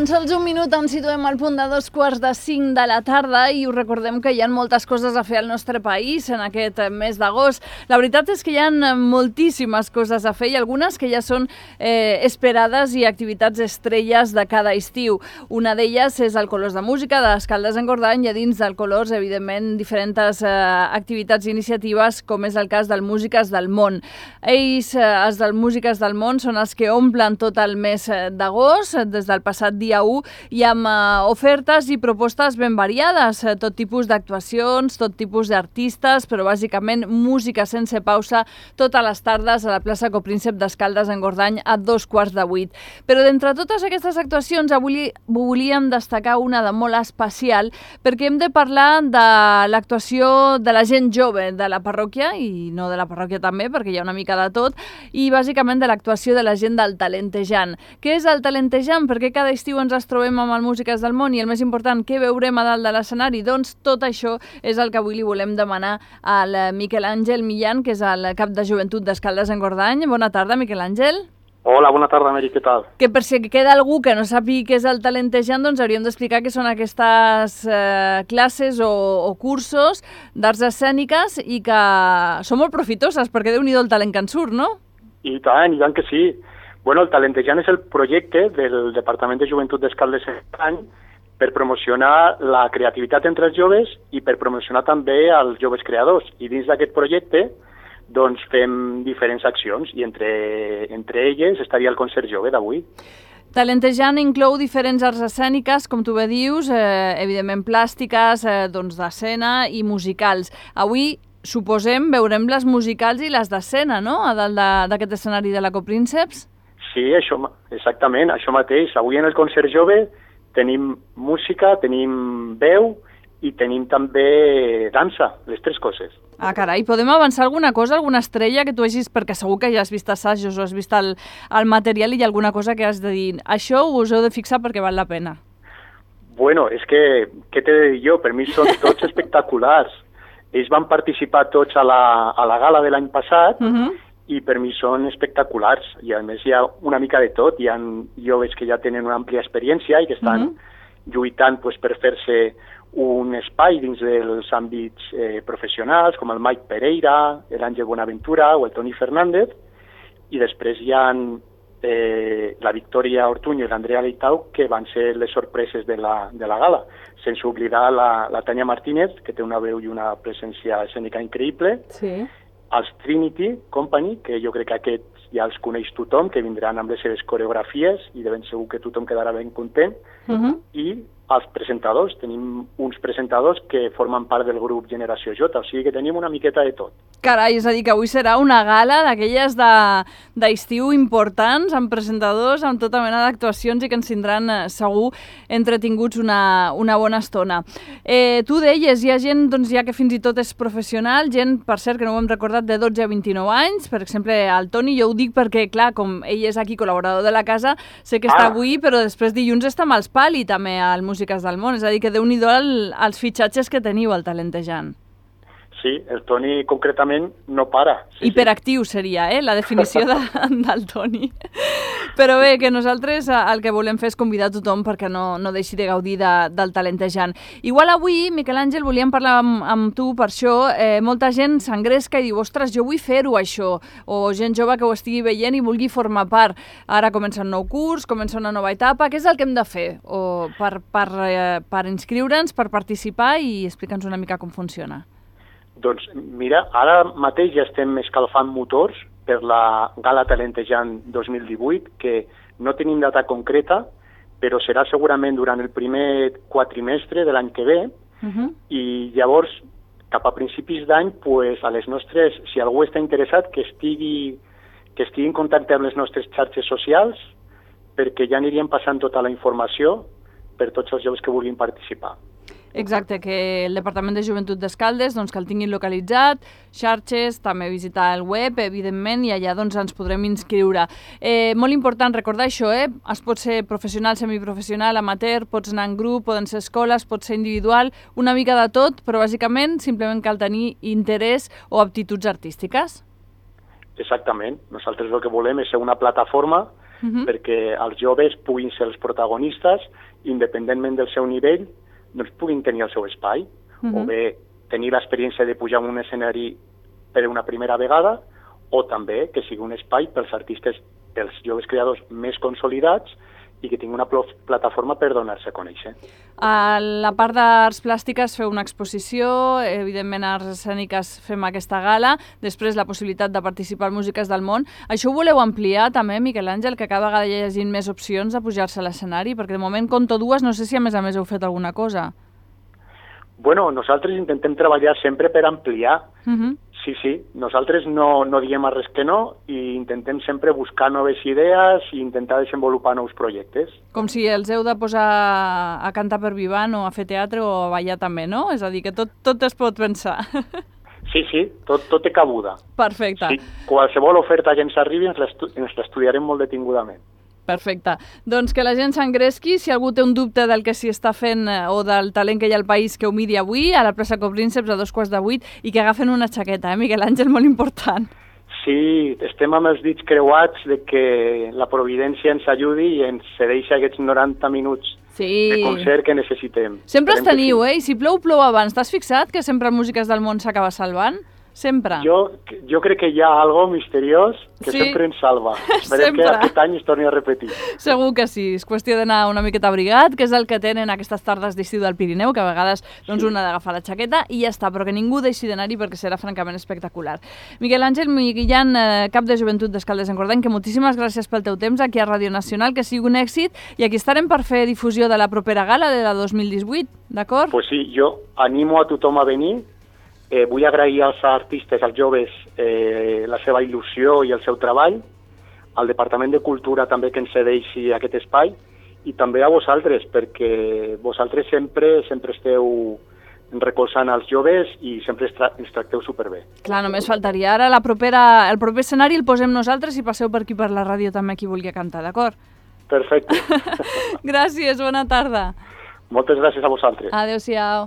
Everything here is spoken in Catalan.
Tan sols un minut ens situem al punt de 2:45 de la tarda i us recordem que hi ha moltes coses a fer al nostre país en aquest mes d'agost. La veritat és que hi ha moltíssimes coses a fer i algunes que ja són esperades i activitats estrelles de cada estiu. Una d'elles és el Colors de Música de Escaldes-Engordany i a dins del Colors, evidentment, diferents activitats i iniciatives, com és el cas del Músiques del Món. Ells, els del Músiques del Món, són els que omplen tot el mes d'agost, des del passat dia 1, i amb ofertes i propostes ben variades, tot tipus d'actuacions, tot tipus d'artistes, però bàsicament música sense pausa totes les tardes a la plaça Copríncep d'Escaldes-Engordany a 7:15. Però d'entre totes aquestes actuacions avui volíem destacar una de molt especial perquè hem de parlar de l'actuació de la gent jove de la parròquia i no de la parròquia també perquè hi ha una mica de tot i bàsicament de l'actuació de la gent del Talentejant. Què és el Talentejant? Perquè cada estiu ens trobem amb el Músiques del Món i el més important, què veurem a dalt de l'escenari? Doncs tot això és el que avui li volem demanar al Miquel Àngel Millán, que és el cap de joventut d'Escaldes-Engordany. Bona tarda, Miquel Àngel. Hola, bona tarda, Meri, què tal? Que per si queda algú que no sàpiga què és el Talentejant, doncs hauríem d'explicar què són aquestes classes o cursos d'arts escèniques i que són molt profitoses, perquè Déu-n'hi-do el talent que en surt, no? I tant que sí. Bueno, el Talentejant és el projecte del Departament de Joventut d'Escaldes-Engordany per promocionar la creativitat entre els joves i per promocionar també els joves creadors. I dins d'aquest projecte doncs fem diferents accions i entre elles estaria el concert jove d'avui. Talentejant inclou diferents arts escèniques, com tu bé dius, evidentment plàstiques, d'escena i musicals. Avui, suposem, veurem les musicals i les d'escena, no?, a dalt d'aquest escenari de la Coprínceps? Sí, exactament, això mateix. Avui en el concert jove tenim música, tenim veu i tenim també dansa, les tres coses. Ah, carai, podem avançar alguna cosa, alguna estrella que tu hagis, perquè segur que ja has vist assajos o has vist el material i hi ha alguna cosa que has de dir, això us heu de fixar perquè val la pena. Bueno, és que, què t'he de dir jo? Per mi són tots espectaculars. Ells van participar tots a la gala de l'any passat i per mi són espectaculars. I a més hi ha una mica de tot. Hi ha joves que ja tenen una àmplia experiència i que estan lluitant per fer-se un espai dins dels àmbits professionals, com el Mike Pereira, l'Àngel Bonaventura o el Toni Fernández, i després hi ha la Victòria Ortuño i l'Andrea Leitau, que van ser les sorpreses de la gala, sense oblidar la Tania Martínez, que té una veu i una presència escènica increïble, els Trinity Company, que jo crec que aquests ja els coneix tothom, que vindran amb les seves coreografies i de ben segur que tothom quedarà ben content, i els presentadors. Tenim uns presentadors que formen part del grup Generació J, o sigui que tenim una miqueta de tot. Carai, és a dir, que avui serà una gala d'aquelles d'estiu importants, amb presentadors, amb tota mena d'actuacions i que ens tindran segur entretinguts una bona estona. Tu deies, hi ha gent ja que fins i tot és professional, gent, per cert, que no ho hem recordat, de 12 a 29 anys, per exemple, el Toni, jo ho dic perquè, clar, com ell és aquí col·laborador de la casa, sé que està avui, però després dilluns està amb els Pali també al Músiques del Món, és a dir, que Déu-n'hi-do els fitxatges que teniu al Talentejant. Sí, el Toni concretament no para. Hiperactiu seria, la definició del Toni. Però bé, que nosaltres el que volem fer és convidar tothom perquè no deixi de gaudir del Talentejant. Igual avui, Miquel Àngel, volíem parlar amb tu per això. Molta gent s'engresca i diu, ostres, jo vull fer-ho això. O gent jove que ho estigui veient i vulgui formar part. Ara comença un nou curs, comença una nova etapa. Què és el que hem de fer per inscriure'ns, per participar i explica'ns una mica com funciona? Doncs mira, ara mateix ja estem escalfant motors per la Gala Talentejant 2018, que no tenim data concreta, però serà segurament durant el primer quatrimestre de l'any que ve, i llavors, cap a principis d'any, a les nostres, si algú està interessat, que estigui en contacte amb les nostres xarxes socials, perquè ja aniríem passant tota la informació per tots els joves que vulguin participar. Exacte, que el Departament de Joventut d'Escaldes que el tinguin localitzat, xarxes, també visitar el web, evidentment, i allà ens podrem inscriure. Molt important recordar això, es pot ser professional, semiprofessional, amateur, pots anar en grup, poden ser escoles, pot ser individual, una mica de tot, però bàsicament simplement cal tenir interès o aptituds artístiques. Exactament. Nosaltres el que volem és ser una plataforma perquè els joves puguin ser els protagonistes, independentment del seu nivell, doncs puguin tenir el seu espai, o bé tenir l'experiència de pujar en un escenari per una primera vegada, o també que sigui un espai pels artistes, pels joves creadors més consolidats i que tingui una plataforma per donar-se a conèixer. A la part d'arts plàstiques feu una exposició, evidentment a arts escèniques fem aquesta gala, després la possibilitat de participar en Músiques del Món. Això ho voleu ampliar també, Miquel Àngel, que cada vegada hi hagi més opcions de pujar-se a l'escenari? Perquè de moment compto dues, no sé si a més heu fet alguna cosa. Bueno, nosaltres intentem treballar sempre per ampliar. Sí, nosaltres no diem a res que no i intentem sempre buscar noves idees i intentar desenvolupar nous projectes. Com si els heu de posar a cantar per Vivant o a fer teatre o a ballar també, no? És a dir, que tot es pot pensar. Sí, tot té cabuda. Perfecte. Sí, qualsevol oferta que ens arribi ens l'estudiarem molt detingudament. Perfecte. Doncs que la gent s'engresqui. Si algú té un dubte del que s'hi està fent o del talent que hi ha al país, que ho miri avui a la plaça Coprínceps a 7:15 i que agafen una xaqueta, Miquel Àngel, molt important. Sí, estem amb els dits creuats de que la providència ens ajudi i ens cedeixi aquests 90 minuts de concert que necessitem. Sempre els teniu, I si plou, plou abans. T'has fixat que sempre Músiques del Món s'acaba salvant? Sempre. Jo crec que hi ha algo misteriós que sempre ens salva. Esperem que aquest any es torni a repetir. Segur que sí. És qüestió d'anar una miqueta abrigat, que és el que tenen aquestes tardes d'estiu del Pirineu, que a vegades un ha d'agafar la xaqueta i ja està, però que ningú deixi d'anar-hi perquè serà francament espectacular. Miquel Àngel Millán, cap de Joventut d'Escaldes-Engordany, que moltíssimes gràcies pel teu temps aquí a Ràdio Nacional, que sigui un èxit, i aquí estarem per fer difusió de la propera gala de la 2018, d'acord? Pues sí, jo animo a tothom a venir. Vull agrair als artistes, als joves, la seva il·lusió i el seu treball, al Departament de Cultura també que ens cedeixi aquest espai, i també a vosaltres, perquè vosaltres sempre esteu recolzant els joves i sempre ens tracteu superbé. Clar, només faltaria. Ara el proper escenari el posem nosaltres i passeu per aquí per la ràdio també qui vulgui cantar, d'acord? Perfecte. Gràcies, bona tarda. Moltes gràcies a vosaltres. Adéu-siau.